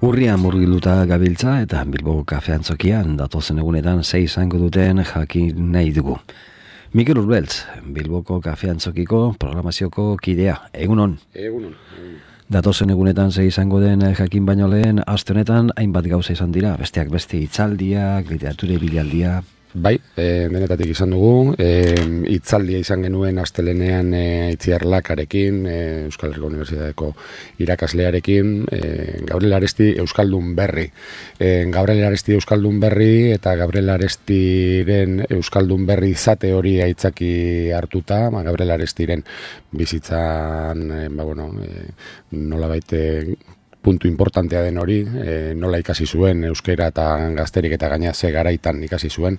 Urria murgiluta gabiltza eta Bilboko kafeantzokian datozen egunetan izango duten jakin nahi dugu. Mikel Urbeltz, Bilboko kafeantzokiko programazioko kidea. Egunon? Egunon. Datozen egunetan izango den jakin baino lehen, aste honetan hainbat gauza izan dira, besteak beste hitzaldiak, literatura bilaldia. Bai, denetatik izan dugu, hitzaldia izan genuen astelenean Itziar Lakarekin, Euskal Herriko Unibertsitateko irakaslearekin, Gabriel Aresti Euskaldun Berri. Gabriel Aresti Euskaldun Berri eta Gabriel Arestiren Euskaldun Berri izate hori aitzaki hartuta, Gabriel Arestiren bizitzan, nolabait puntu importantea den hori, nola ikasi zuen euskera eta gazterik eta gaina ze garaitan ikasi zuen,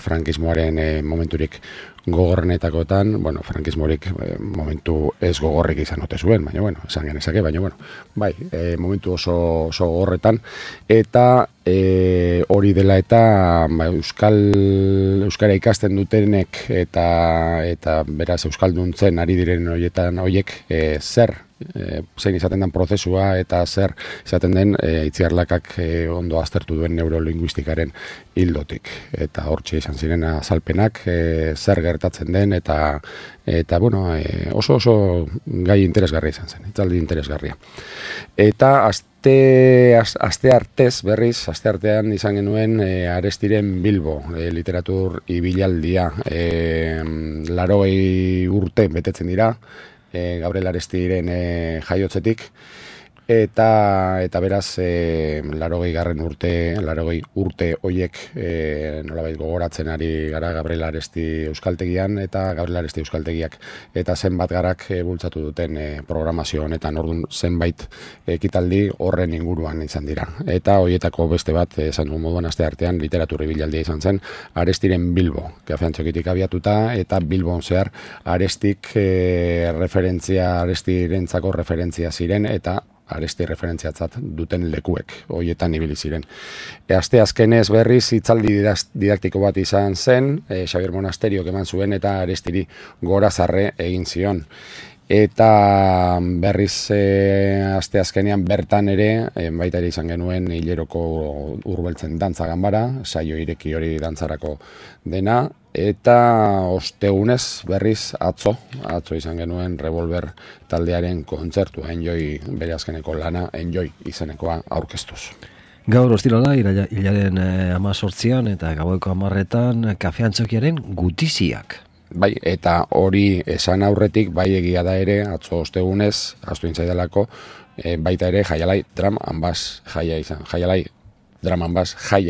frankismoaren momenturik gogorrenetakoetan, frankismorik momentu ez gogorrik izan ote zuen, baina esan genezake, bai, momentu oso gogorretan, eta hori dela eta euskara ikasten dutenek eta beraz euskalduntzen ari diren horiek zein izaten den prozesua eta zer izaten den Itziar Lakak ondo aztertu duen neurolinguistikaren hildotik. Eta hortxe izan ziren azalpenak zer gertatzen den eta oso gai interesgarria izan zen, hitzaldi interesgarria. Eta aste artean izan genuen Arestiren Bilbo, literatur ibilaldia, 80 urte betetzen dira, Gabriel Arestiren jaiotzetik, eta beraz 80 urte horiek nolabait gogoratzen ari gara Gabriel Aresti Euskaltegian eta Gabriel Aresti Euskaltegiak eta zenbat garak bultzatu duten programazio honetan, orduan zenbait ekitaldi horren inguruan izan dira. Eta horietako beste bat, esan dugu moduan aste artean literatur ibilaldia izan zen, Arestiren Bilbo, kafeantzokitik abiatuta, eta Bilbon zehar Arestik Arestirentzako referentzia ziren, eta Aresti referentziatzat duten lekuek, horietan ibili ziren. Aste azkenez berriz hitzaldi didaktiko bat izan zen, Xabier Monasteriok eman zuen eta Arestiri gorazarre egin zion. Eta berriz aste azkenean bertan ere, baita ere izan genuen hileroko Urbeltzen dantza ganbara, saio ireki hori dantzarako dena, eta ostegunez berriz atzo izan genuen Revolver taldearen kontzertua, Enjoy bere azkeneko lana, Enjoy izenekoa aurkeztuz. Gaur ostirala, hilaren 18an eta gaueko 10etan kafeantzokiaren gutiziak. Bai, eta hori esan aurretik, bai egia da ere, atzo ostegunez, ahaztu intzaidalako, baita ere Jaialai Drum and Bass jaia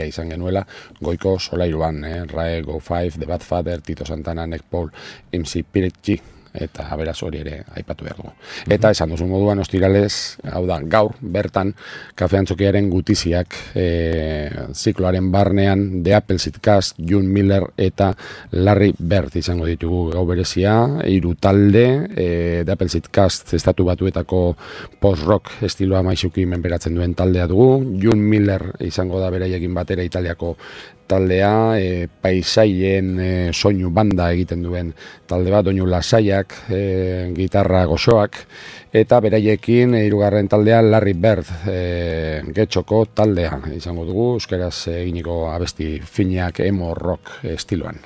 izan genuela, goiko solairuan, Rae, Go Five, The Bad Father, Tito Santana, Nick Paul, MC Piretxi, eta beraz hori ere aipatu behar dugu. Eta esan duzu moduan ostiralez, hau da, gaur bertan kafeantzokiaren gutiziak zikloaren barnean The Appleseed Cast, June Miller eta Larry Bird izango ditugu gau berezia, 3 talde, The Appleseed Cast estatu batuetako post-rock estiloa maixuki menperatzen duen taldea dugu, June Miller izango da beraiekin batera Italiako taldea, paisaien soinu banda egiten duen talde bat, doinu lasaiak, gitarra goxoak, eta beraiekin 3. taldea Larry Bird, Getxoko taldea izango dugu, euskeraz eginiko abesti finak emo rock estiloan.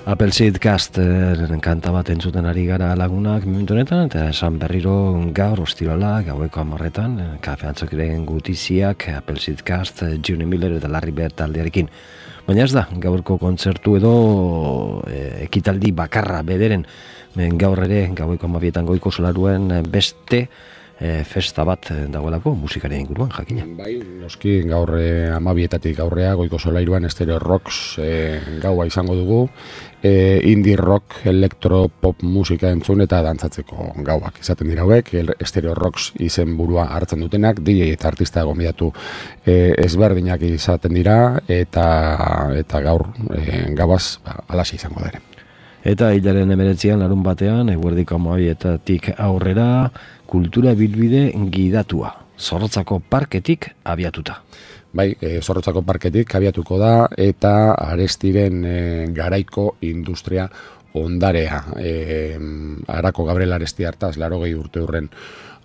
Appleseed Cast kanta bat entzuten ari gara lagunak momentu honetan, eta esan berriro gaur ostirala, gaueko 10etan, kafeantzokiren gutiziak, Appleseed Cast, June Miller eta Larry Bird taldearekin. Baina ez da, gaurko kontzertu edo ekitaldi bakarra bederen, gaur ere, gaueko 12etan goiko solaruen beste festa bat dagoelako musikaren inguruan, jakina. Bai, noski gaur 12etatik aurrea goiko solairuan Stereo Rocks gaua izango dugu, indie rock, electro pop musika entzun eta dantzatzeko gauak izaten dira hauek, Stereo Rocks izen burua hartzen dutenak, DJ eta artista gonbidatu ezberdinak izaten dira eta gaur gauaz alaxe izango da ere. Eta hilaren 19 larun batean, eguerdiko 12 aurrera, kultura bilbide gidatua, Zorrotzako parketik abiatuta. Bai, Zorrotzako parketik abiatuko da, eta Arestiren garaiko industria ondarea. Arako Gabriel Aresti hartaz, 80 urte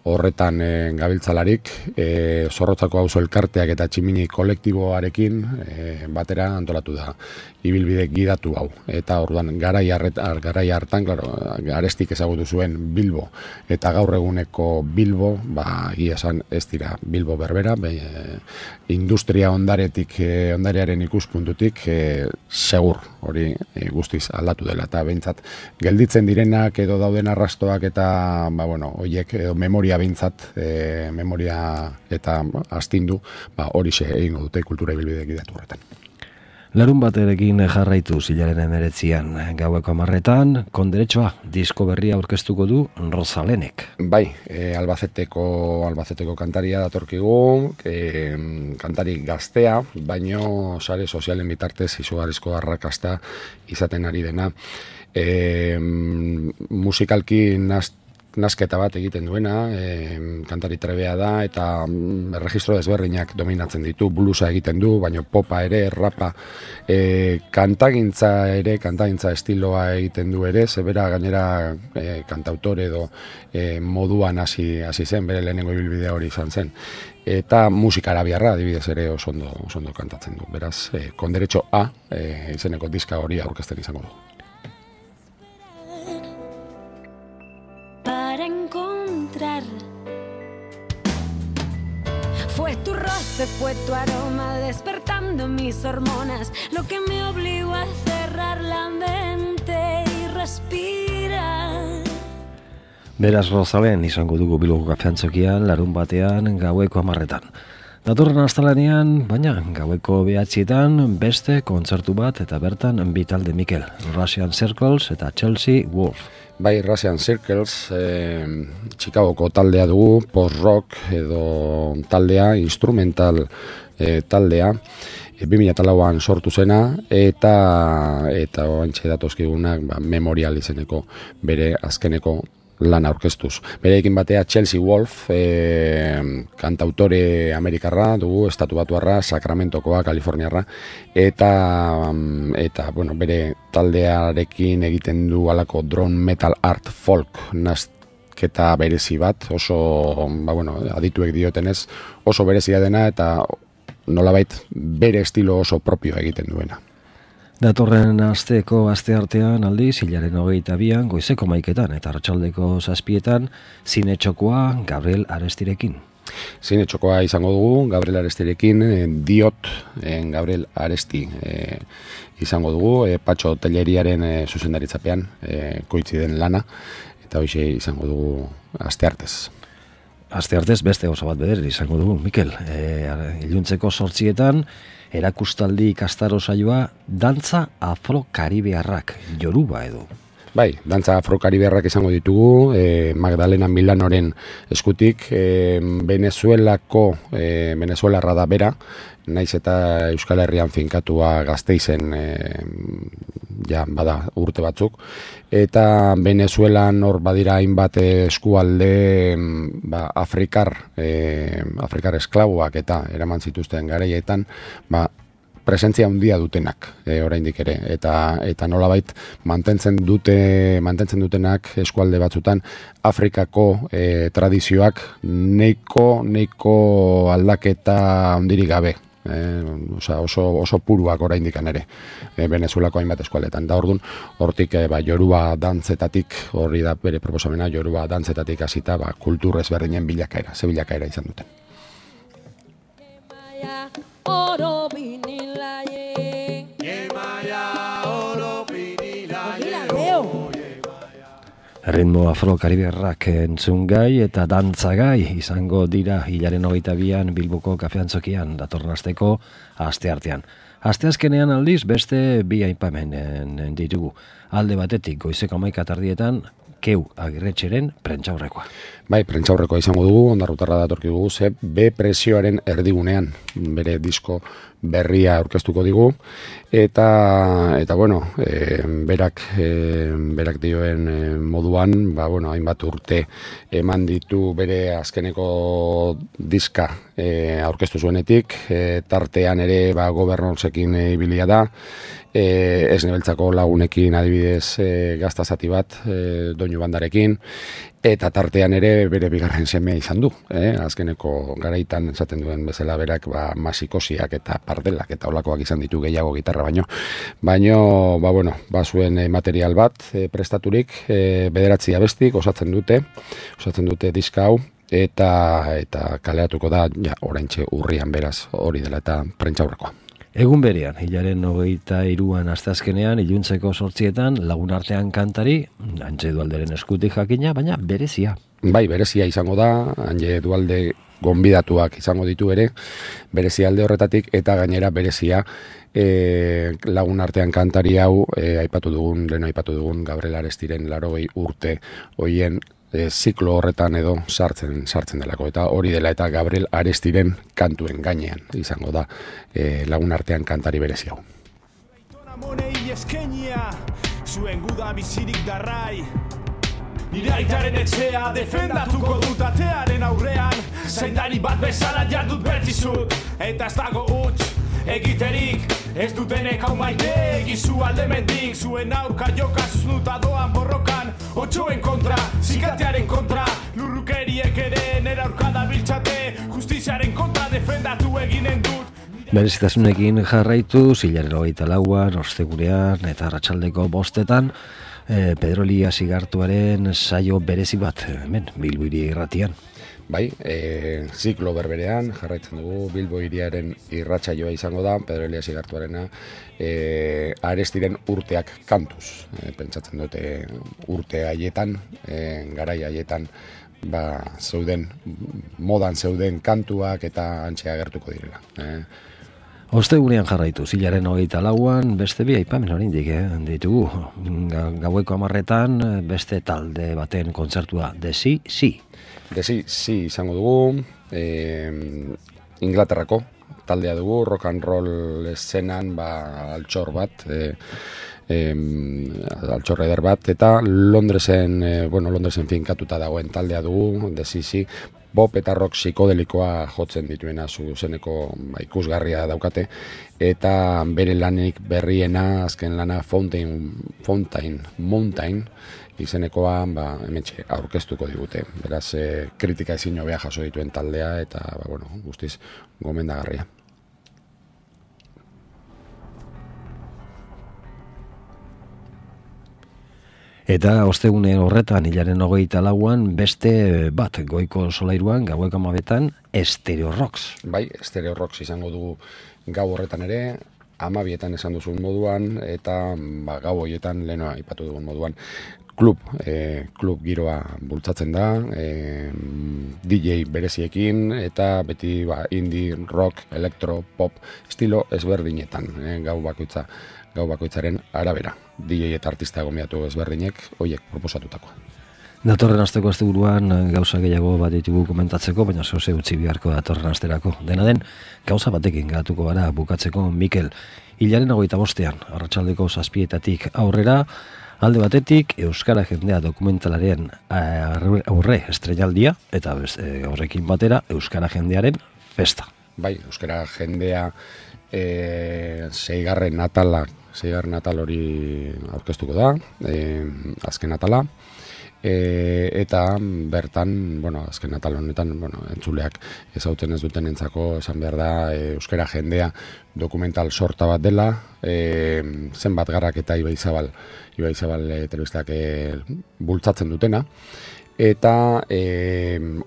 horretan gabiltzalarik, Zorrotzako auzo elkarteak eta tximini kolektiboarekin batera antolatu da ibilbide gidatu hau. Eta orduan garai hartan, claro, Arestik ezagutu zuen Bilbo eta gaur eguneko Bilbo, egia esan ez dira Bilbo berbera, industria ondarearen ikuspuntutik segur hori guztiz aldatu dela, eta behintzat gelditzen direnak edo dauden arrastoak eta horiek edo memoria behintzat, memoria eta astindu, horixe egingo dute kultura ibilbide gidatu horretan. Larun baterekin jarraitu hilaren 19 gaueko 10 konderetxoa disko berria aurkeztuko du Rozalenek. Bai, Albaceteko kantaria datorkigu, kantari gaztea, baino sare sozialen bitartez izugarrizko arrakasta izaten ari dena. Musikalki nasketa bat egiten duena, kantari trebea da, eta erregistro desberdinak dominatzen ditu, bluesa egiten du, baina popa ere, rapa, kantagintza estiloa egiten du ere, zebera gainera kantautore edo moduan hasi zen, bere lehenengo ibilbidea hori izan zen. Eta musika arabiarra, adibidez ere oso ondo kantatzen du. Beraz, konderetxo A, izeneko diska hori aurkezten izango du. Fue tu roce, fue tu aroma despertando mis hormonas, lo que me obligó a cerrar la mente y respirar. Beraz Rozalen izango dugu Bilboko kafeantzokian larun batean gaueko 10. Datorren astelehenean, baina gaueko 9 beste kontzertu bat eta bertan bi talde Mikel, Russian Circles eta Chelsea Wolf. Bai, Russian Circles, Chicagoko taldea dugu, post-rock edo taldea, instrumental taldea, 2004an sortu zena, eta oantxe datozkigunak Memorial izeneko bere azkeneko lan aurkeztuz. Bereekin batea Chelsea Wolf, kantautore amerikarra dugu, estatubatuarra, Sacramentokoa, Kaliforniarra, eta bere taldearekin egiten du alako drone metal art folk nasketa berezi bat, oso, adituek diotenez, oso berezia dena, eta nolabait bere estilo oso propio egiten duena. Datorren asteartean aldiz, hilaren 22 goizeko 11 eta arratsaldeko 7 zinetxokoa Gabriel Arestirekin. Zinetxokoa izango dugu, Gabriel Arestirekin, Diot Gabriel Aresti izango dugu, Patxo Telleriaren zuzendaritzapean koitzi den lana, eta hoxe izango dugu asteartez. Asteartez beste oso bat beder izango dugu, Mikel. Iluntzeko 8 erakustaldi ikastaro saioa dantza afro-karibearrak, Yoruba edo. Bai, dantza afro-karibearrak izango ditugu, Magdalena Milanoren eskutik, Venezuelarra da bera, naiz eta Euskal Herrian finkatua Gasteizen bada urte batzuk, eta Venezuelan hor badira hainbat eskualde afrikar esklaboak eta eraman zituzten garaietan, presentzia handia dutenak oraindik ere, eta nolabait mantentzen dutenak eskualde batzutan Afrikako tradizioak neiko aldaketa handirik gabe. Oso puruak oraindik ere Venezuelako hainbat eskualdetan. Da orduan, hortik Yoruba dantzetatik, hori da bere proposamena, Yoruba dantzetatik hasita kultur ezberdinen bilakaera izan duten. Ritmo afro-karibearrak entzungai eta dantzagai izango dira hilaren 22an Bilboko kafeantzokian datorren asteko asteartean. Asteazkenean aldiz beste bi aipamenen ditugu. Alde batetik goizeko 11 Keu Agirretxeren prentsaurrekoa. Bai, prentsaurrekoa izango dugu, Ondarrutarra datorkigu, ze B presioaren erdigunean bere disko berria aurkeztuko digu, eta bueno, berak dioen moduan, hainbat urte eman ditu bere azkeneko diska aurkeztu zuenetik, tartean ere Gobernorsekin ibilia da, Esnebeltzako lagunekin adibidez gazta zati bat, doinu bandarekin, eta tartean ere bere bigarren semea izan du. Azkeneko garaitan esaten duen bezala berak masikosiak eta pardelak eta olakoak izan ditu gehiago gitarra baino zuen material bat prestaturik, 9 abestik osatzen dute diska hau, eta kaleatuko da oraintxe urrian, beraz hori dela eta prentsaurrekoa. Egun berean, hilaren 23an asteazkenean, iluntzeko 8etan, Lagunartean kantari, Antje Dualderen eskutik jakina, baina berezia. Bai, berezia izango da, Antje Dualde gonbidatuak izango ditu ere, berezia alde horretatik, eta gainera berezia Lagunartean kantari hau, aipatu dugun Gabriel Arestiren 80 urte hoien ziklo horretan edo sartzen delako, eta hori dela eta Gabriel Arestiren kantuen gainean izango da Lagunartean kantari berezi hau. Zuen guda bizirik darrai, nire aitaren etxea defendatuko dut atearen aurrean, zaindari bat bezala jardut bertizut, eta ez dago huts egiterik, ez dutenek hau maite egizu aldemendik, zuen aurka joka zuznuta doan borrokan, otxoen kontra, zikatearen kontra, lurrukeriek ere nera aurka da biltxate, justiziaren kontra defendatu eginen dut. Berezitasunekin jarraitu, hilaren 24an, ostegunean eta arratsaldeko 5etan, Pedro Elias Igartuaren saio berezi bat, hemen, Bilbo Hiria irratian. Bai, ziklo berberean jarraitzen dugu, Bilbo Hiriaren irratsaioa izango da, Pedro Elias Igartuarena, Arestiren urteak kantuz. Pentsatzen dute urte haietan, garai haietan, modan zeuden kantuak eta antxe agertuko direla. Ostegunean jarraitu, hilaren 24an, beste bi aipamen oraindik ditugu. Gaueko 10etan beste talde baten kontzertua, The Sea izango dugu, Inglaterrako taldea dugu, rock and roll eszenan altxor bat, altxor eder bat, eta Londresen finkatuta dagoen taldea dugu, The Sea, pop eta rock psikodelikoa jotzen dituena zuzeneko ikusgarria daukate, eta bere lanik berriena, azken lana Mountain izenekoa hementxe aurkeztuko digute. Beraz, kritika ezin hobea jaso dituen taldea, eta guztiz gomendagarria. Eta ostegune horretan, hilaren 24an, beste bat goiko solairuan, gaueko 12etan, Stereo Rocks. Bai, Stereo Rocks izango dugu gau horretan ere, 12etan esan duzun moduan, eta gau horietan lehenoa aipatu dugun moduan. Klub giroa bultzatzen da, DJ bereziekin, eta beti indie, rock, elektro, pop, estilo ezberdinetan, gau bakoitzaren arabera. DJ eta artista gomiatu ezberdinek, horiek proposatutakoa. Datorren asteko asteburuan gauza gehiago bat ditugu komentatzeko, baina zehose utzi biharko datorren asterako. Dena den, gauza batekin gatuko gara bukatzeko, Mikel. Hilaren 25ean, arratsaldeko 7:00 aurrera, alde batetik, Euskara Jendea dokumentalaren aurre estreinaldia, eta horrekin batera, Euskara Jendearen festa. Bai, Euskara Jendea 6. atal hori aurkeztuko da, azken atala, eta bertan, azken atal honetan, entzuleak ezagutzen ez duten entzako, esan behar da, Euskara Jendea dokumental sorta bat dela, zenbat garrak eta Ibai Zabal telebistak bultzatzen dutena, eta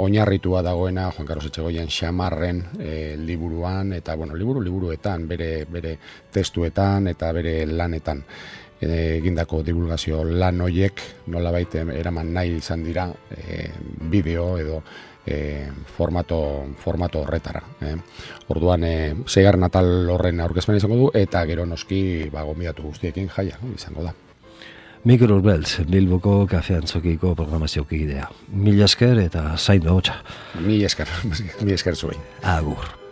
oinarritua dagoena Juan Carlos Etxegoien Xamarren liburuan, eta liburuetan, bere testuetan eta bere lanetan egindako divulgazio lan hoiek nolabait eraman nahi izan dira bideo edo formato horretara. Orduan 6. atal horren aurkezpena izango du, eta gero noski gonbidatu guztiekin jaia izango da. Mikel Urbeltz, Bilboko Kafe Antzokiko programaziokidea. Mila esker eta zaindu hotxa. Mila esker zuen. Agur.